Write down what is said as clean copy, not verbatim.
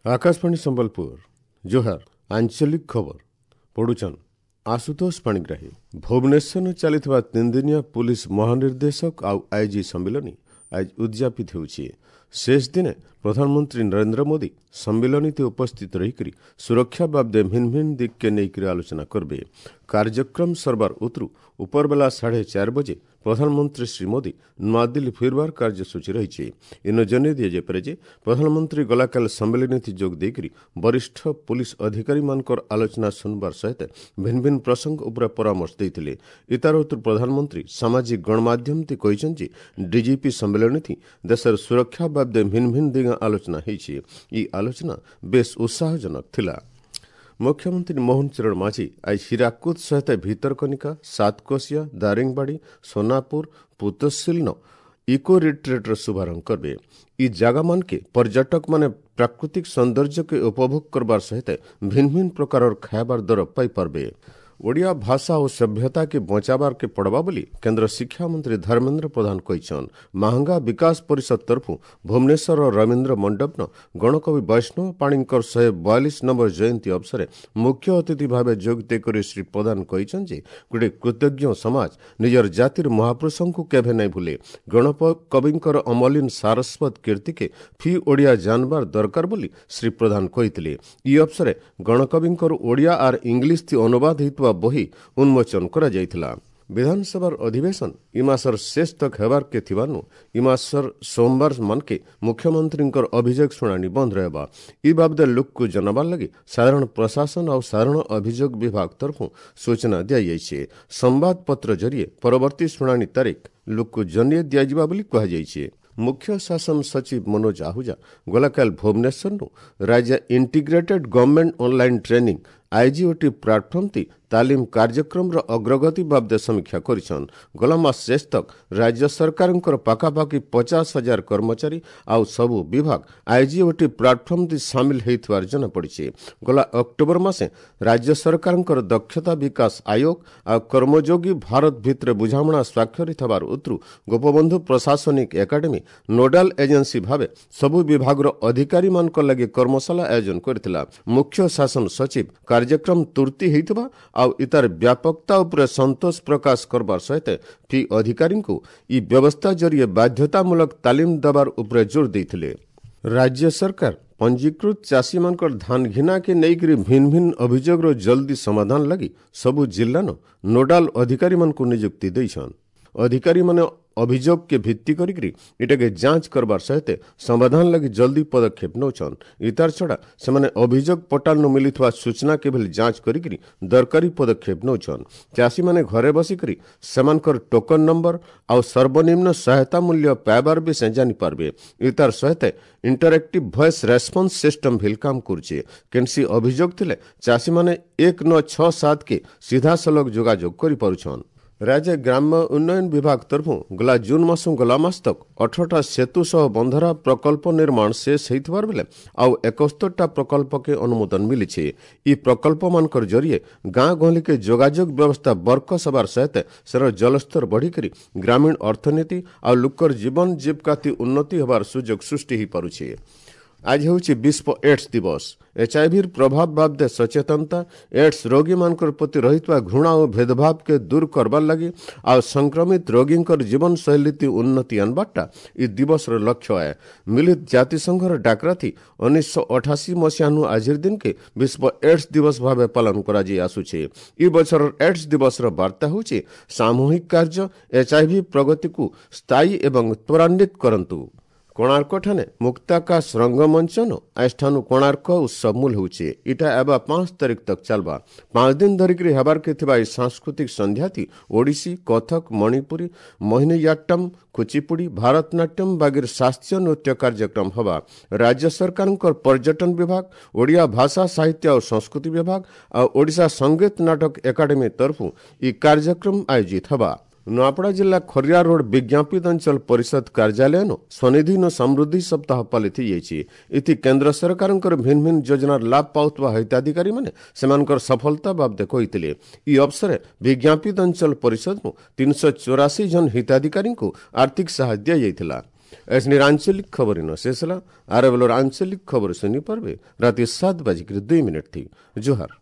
ଆକାଶବାଣୀ ସମ୍ବଲପୁର, ଜୁହାର। ଆଞ୍ଚଳିକ ଖବର ପଢୁଛନ୍ ଆଶୁତୋଷ ପାଣିଗ୍ରାହୀ। ଭୁବନେଶ୍ୱରରେ ଚାଲିଥିବା ତିନିଦିନିଆ ପୁଲିସ ମହାନିର୍ଦ୍ଦେଶକ ଆଉ ଆଇଜି ସମ୍ମିଳନୀ ଆଜି ଉଦଯାପିତ ହେଉଛି। ଶେଷ ଦିନେ ପ୍ରଧାନମନ୍ତ୍ରୀ ନରେନ୍ଦ୍ର ମୋଦି ସମ୍ମିଳନୀতে ଉପସ୍ଥିତ ରହିକରି ସୁରକ୍ଷା ବାବଦେ ଭିନ୍ନ ଭିନ୍ନ ଦିଗକେ ନେଇକରି ଆଲୋଚନା କରିବେ। କାର୍ଯ୍ୟକ୍ରମ ସରବାର ଉତରୁ ଉପରବେଲା 4:30 ବଜେ ପ୍ରଧାନମନ୍ତ୍ରୀ ଶ୍ରୀ ମୋଦି ନୂଆଦିଲ୍ଲୀ ଫେରବାର କାର୍ଯ୍ୟସୂଚୀ ରହିଛି। ଇନ ଜଣାଇ ଦିଆଯାଇପାରେ ଯେ ପ୍ରଧାନମନ୍ତ୍ରୀ ଗଲାକାଲି ସମ୍ମିଳନୀଥି ଯୋଗ ଦେଇକରି ବରିଷ୍ଠ ପୁଲିସ ଅଧିକାରୀମାନଙ୍କର ଆଲୋଚନା ଶୁଣବାର ସହିତ ଭିନ୍ନ ଭିନ୍ନ ପ୍ରସଙ୍ଗ ଉପରେ ପରାମର୍ଶ ଦେଇଥିଲେ। ଇତାର ଉତ୍ତର ପ୍ରଧାନମନ୍ତ୍ରୀ ସାମାଜିକ ଗଣମାଧ୍ୟମଥି କହିଛନ୍ତି, ଡିଜିପି ସମ୍ମିଳନୀଥି ଦେଶର ସୁରକ୍ଷା ବାବଦେ ଭିନ୍ନ ଭିନ୍ନ ଦିଗ ଆଲୋଚନା ହେଇଛି। ଇ ଆଲୋଚନା ବେଶ ଉତ୍ସାହଜନକ ଥିଲା। ମୁଖ୍ୟମନ୍ତ୍ରୀ ମୋହନ ଚରଣ ମାଝୀ ଆଜି ହୀରାକୁଦ ସହିତ ଭିତରକନିକା, ସାତକୋଶିଆ, ଦାରିଙ୍ଗବାଡ଼ି, ସୋନାପୁର, ପୁତସିଲ୍ନ ଇକୋ ରିଟ୍ରିଟ୍ର ଶୁଭାରମ୍ଭ କରିବେ। ଇ ଜାଗାମାନକେ ପର୍ଯ୍ୟଟକମାନେ ପ୍ରାକୃତିକ ସୌନ୍ଦର୍ଯ୍ୟକେ ଉପଭୋଗ କରବାର ସହିତ ଭିନ୍ନ ଭିନ୍ନ ପ୍ରକାରର ଖାଇବାର ଦର ପାଇପାରବେ। ଓଡ଼ିଆ ଭାଷା ଓ ସଭ୍ୟତାକେ ବଞ୍ଚାବାରକେ ପଡ଼ବା ବୋଲି କେନ୍ଦ୍ର ଶିକ୍ଷାମନ୍ତ୍ରୀ ଧର୍ମେନ୍ଦ୍ର ପ୍ରଧାନ କହିଛନ୍। ମାହାଙ୍ଗା ବିକାଶ ପରିଷଦ ତରଫୁ ଭୁବନେଶ୍ୱରର ରବୀନ୍ଦ୍ର ମଣ୍ଡପନ ଗଣକବି ବୈଷ୍ଣବ ପାଣିଙ୍କର 142 ନମ୍ବର ଜୟନ୍ତୀ ଅବସରେ ମୁଖ୍ୟ ଅତିଥି ଭାବେ ଯୋଗ ଦେଇକରି ଶ୍ରୀ ପ୍ରଧାନ କହିଛନ୍ତି ଯେ ଗୋଟେ କୃତଜ୍ଞ ସମାଜ ନିଜର ଜାତିର ମହାପୁରୁଷଙ୍କୁ କେବେ ନାଇଁ ଭୁଲେ। ଗଣକବିଙ୍କର ଅମଲିନ ସାରସ୍ୱତ କୀର୍ତ୍ତିକେ ଫି ଓଡ଼ିଆ ଜାନବାର ଦରକାର ବୋଲି ଶ୍ରୀ ପ୍ରଧାନ କହିଥିଲେ। ଇ ଅବସରେ ଗଣକବିଙ୍କର ଓଡ଼ିଆ ଆର୍ ଇଂଲିଶ ଥି ଅନୁବାଦ ହେଇଥିବା ବହି ଉନ୍ମୋଚନ କରାଯାଇଥିଲା। ବିଧାନସଭାର ଅଧିବେଶନ ଇ ମାସର ଶେଷ ତକ ହେବାରକେ ଥିବାନୁ ଇ ମାସର ସୋମବାର ମାନକେ ମୁଖ୍ୟମନ୍ତ୍ରୀଙ୍କର ଅଭିଯୋଗ ଶୁଣାଣି ବନ୍ଦ ରହିବା। ଇ ବାବଦରେ ଲୋକକୁ ଜଣାବାର ଲାଗି ସାଧାରଣ ପ୍ରଶାସନ ଆଉ ସାଧାରଣ ଅଭିଯୋଗ ବିଭାଗ ତରଫରୁ ସୂଚନା ଦିଆଯାଇଛି। ସମ୍ବାଦପତ୍ର ଜରିଏ ପରବର୍ତ୍ତୀ ଶୁଣାଣି ତାରିଖ ଲୋକକୁ ଜଣାଇ ଦିଆଯିବା ବୋଲି କୁହାଯାଇଛି। ମୁଖ୍ୟ ଶାସନ ସଚିବ ମନୋଜ ଆହୁଜା ଗଲାକାଲି ଭୁବନେଶ୍ୱରରୁ ରାଜ୍ୟ integrated government online training IGOT platform ତି ତାଲିମ କାର୍ଯ୍ୟକ୍ରମର ଅଗ୍ରଗତି ବାବଦେ ସମୀକ୍ଷା କରିଛନ୍। ଗଲା ମାସ ଶେଷ ତକ ରାଜ୍ୟ ସରକାରଙ୍କର ପାଖାପାଖି 50,000 କର୍ମଚାରୀ ଆଉ ସବୁ ବିଭାଗ ଆଇଜିଓଟି ପ୍ଲାଟଫର୍ମ ତି ସାମିଲ ହେଇଥିବାର ଜଣାପଡ଼ିଛି। ଗଲା ଅକ୍ଟୋବର ମାସେ ରାଜ୍ୟ ସରକାରଙ୍କର ଦକ୍ଷତା ବିକାଶ ଆୟୋଗ ଆଉ କର୍ମଯୋଗୀ ଭାରତ ଭିତରେ ବୁଝାମଣା ସ୍ୱାକ୍ଷରିତ ହେବାର ଉତ୍ତରୁ ଗୋପବନ୍ଧୁ ପ୍ରଶାସନିକ ଏକାଡେମୀ ନୋଡାଲ ଏଜେନ୍ସି ଭାବେ ସବୁ ବିଭାଗର ଅଧିକାରୀମାନଙ୍କ ଲାଗି କର୍ମଶାଳା ଆୟୋଜନ କରିଥିଲା। ମୁଖ୍ୟ ଶାସନ ସଚିବ କାର୍ଯ୍ୟକ୍ରମ ତୁର୍ତ୍ତି ହେଇଥିବା ଆଉ ଇତାର ବ୍ୟାପକତା ଉପରେ ସନ୍ତୋଷ ପ୍ରକାଶ କରବାର ସହିତ ଫି ଅଧିକାରୀଙ୍କୁ ଇ ବ୍ୟବସ୍ଥା ଜରିଏ ବାଧ୍ୟତାମୂଳକ ତାଲିମ ଦେବାର ଉପରେ ଜୋର ଦେଇଥିଲେ। ରାଜ୍ୟ ସରକାର ପଞ୍ଜୀକୃତ ଚାଷୀମାନଙ୍କର ଧାନ ଘିନାକେ ନେଇକରି ଭିନ୍ନ ଭିନ୍ନ ଅଭିଯୋଗର ଜଲ୍ଦି ସମାଧାନ ଲାଗି ସବୁ ଜିଲ୍ଲାନ ନୋଡାଲ ଅଧିକାରୀମାନଙ୍କୁ ନିଯୁକ୍ତି ଦେଇଛନ୍। ଅଧିକାରୀମାନେ ଅଭିଯୋଗକେ ଭିତ୍ତି କରିକରି ଏଟାକେ ଯାଞ୍ଚ କରବାର ସହିତ ସମାଧାନ ଲାଗି ଜଲ୍ଦି ପଦକ୍ଷେପ ନେଉଛନ୍। ଇତାର ଛଡ଼ା ସେମାନେ ଅଭିଯୋଗ ପୋର୍ଟାଲରୁ ମିଳିଥିବା ସୂଚନାକେ ଭଳି ଯାଞ୍ଚ କରିକରି ଦରକାରୀ ପଦକ୍ଷେପ ନେଉଛନ୍। ଚାଷୀମାନେ ଘରେ ବସିକରି ସେମାନଙ୍କର ଟୋକନ ନମ୍ବର ଆଉ ସର୍ବନିମ୍ନ ସହାୟତା ମୂଲ୍ୟ ପାଇବାର ବି ସେ ଜାଣିପାରିବେ। ଇତାର ସହିତ ଇଣ୍ଟରାକ୍ଟିଭ ଭଏସ୍ ରେସ୍ପନ୍ସ ସିଷ୍ଟମ ଭିଲ କାମ କରୁଛେ। କେନ୍ସି ଅଭିଯୋଗ ଥିଲେ ଚାଷୀମାନେ 1967 କେ ସିଧାସଳଖ ଯୋଗାଯୋଗ କରିପାରୁଛନ୍। ରାଜ୍ୟ ଗ୍ରାମ୍ୟ ଉନ୍ନୟନ ବିଭାଗ ତରଫରୁ ଗଲା ଜୁନ୍ ମାସ ଗଲା ମାସ ତକ 18ଟା ସେତୁ ସହ ବନ୍ଧରା ପ୍ରକଳ୍ପ ନିର୍ମାଣ ଶେଷ ହେଇଥିବାର ବେଲେ ଆଉ 71ଟା ପ୍ରକଳ୍ପକେ ଅନୁମୋଦନ ମିଳିଛି। ଇ ପ୍ରକଳ୍ପମାନଙ୍କର ଜରିଏ ଗାଁ ଗହଳିକେ ଯୋଗାଯୋଗ ବ୍ୟବସ୍ଥା ବରକସ ହେବାର ସହିତ ସେର ଜଳସ୍ତର ବଢ଼ିକରି ଗ୍ରାମୀଣ ଅର୍ଥନୀତି ଆଉ ଲୋକର ଜୀବନ ଜୀବିକାତି ଉନ୍ନତି ହେବାର ସୁଯୋଗ ସୃଷ୍ଟି ହୋଇପାରୁଛି। ଆଜି ହେଉଛି ବିଶ୍ୱ ଏଡ୍ସ ଦିବସ। ଏଚ୍ଆଇଭିର ପ୍ରଭାବ ବାବଦେ ସଚେତନତା, ଏଡ୍ସ ରୋଗୀମାନଙ୍କର ପ୍ରତି ରହିଥିବା ଘୃଣା ଓ ଭେଦଭାବକେ ଦୂର କରବାର ଲାଗି ଆଉ ସଂକ୍ରମିତ ରୋଗୀଙ୍କର ଜୀବନଶୈଳୀ ଉନ୍ନତି ଆନବାରଟା ଇ ଦିବସର ଲକ୍ଷ୍ୟ ଆଏ। ମିଳିତ ଜାତିସଂଘର ଡାକରାଥି 1988 ମସିହାନୁ ଆଜିର ଦିନକେ ବିଶ୍ୱ ଏଡ୍ସ ଦିବସ ଭାବେ ପାଳନ କରାଯାଇ ଆସୁଛି। ଇ ବଛରର ଏଡ୍ସ ଦିବସର ବାର୍ତ୍ତା ହେଉଛି ସାମୂହିକ କାର୍ଯ୍ୟ, ଏଚ୍ଆଇଭି ପ୍ରଗତିକୁ ସ୍ଥାୟୀ ଏବଂ ତ୍ୱରାନ୍ୱିତ କରନ୍ତୁ। କୋଣାର୍କଠାନେ ମୁକ୍ତାକାଶ ରଙ୍ଗମଞ୍ଚନ ଆଜିଠାନୁ କୋଣାର୍କ ଉତ୍ସବ ମୂଲ ହେଉଛି। ଇଟା ଏବା 5 ତାରିଖ ତକ ଚାଲବା। 5 ଦିନ ଧରିକରି ହେବାରକେ ଥିବା ଏହି ସାଂସ୍କୃତିକ ସନ୍ଧ୍ୟାତି ଓଡ଼ିଶୀ, କଥକ, ମଣିପୁରୀ, ମୋହିନୀୟାଟ୍ଟମ୍, କୁଚିପୁଡ଼ି, ଭାରତନାଟ୍ୟମ ବାଗିର ଶାସ୍ତ୍ରୀୟ ନୃତ୍ୟ କାର୍ଯ୍ୟକ୍ରମ ହେବା। ରାଜ୍ୟ ସରକାରଙ୍କର ପର୍ଯ୍ୟଟନ ବିଭାଗ, ଓଡ଼ିଆ ଭାଷା ସାହିତ୍ୟ ଆଉ ସଂସ୍କୃତି ବିଭାଗ ଆଉ ଓଡ଼ିଶା ସଙ୍ଗୀତ ନାଟକ ଏକାଡେମୀ ତରଫରୁ ଇ କାର୍ଯ୍ୟକ୍ରମ ଆୟୋଜିତ ହେବା। ନୂଆପଡ଼ା ଜିଲ୍ଲା ଖରିଆ ରୋଡ ବିଜ୍ଞାପିତ ଅଞ୍ଚଳ ପରିଷଦ କାର୍ଯ୍ୟାଳୟନ ସ୍ୱନିଧି ସମୃଦ୍ଧି ସପ୍ତାହ ପାଳିତ ହୋଇଯାଇଛି। ଏଥି କେନ୍ଦ୍ର ସରକାରଙ୍କର ଭିନ୍ନ ଭିନ୍ନ ଯୋଜନାର ଲାଭ ପାଉଥିବା ହିତାଧିକାରୀମାନେ ସେମାନଙ୍କର ସଫଳତା ବାବଦେ କହିଥିଲେ। ଇ ଅବସରେ ବିଜ୍ଞାପିତ ଅଞ୍ଚଳ ପରିଷଦରୁ 384 ଜଣ ହିତାଧିକାରୀଙ୍କୁ ଆର୍ଥିକ ସାହାଯ୍ୟ ଦିଆଯାଇଥିଲା। ଏସନିର ଆଞ୍ଚଳିକ ଖବର ଇନ ଶେଷ ହେଲା। ଆର ବେଲର ଆଞ୍ଚଳିକ ଖବର ଶୁନି ପାରବେ ରାତି 7:02 ଥି। ଜୁହାର।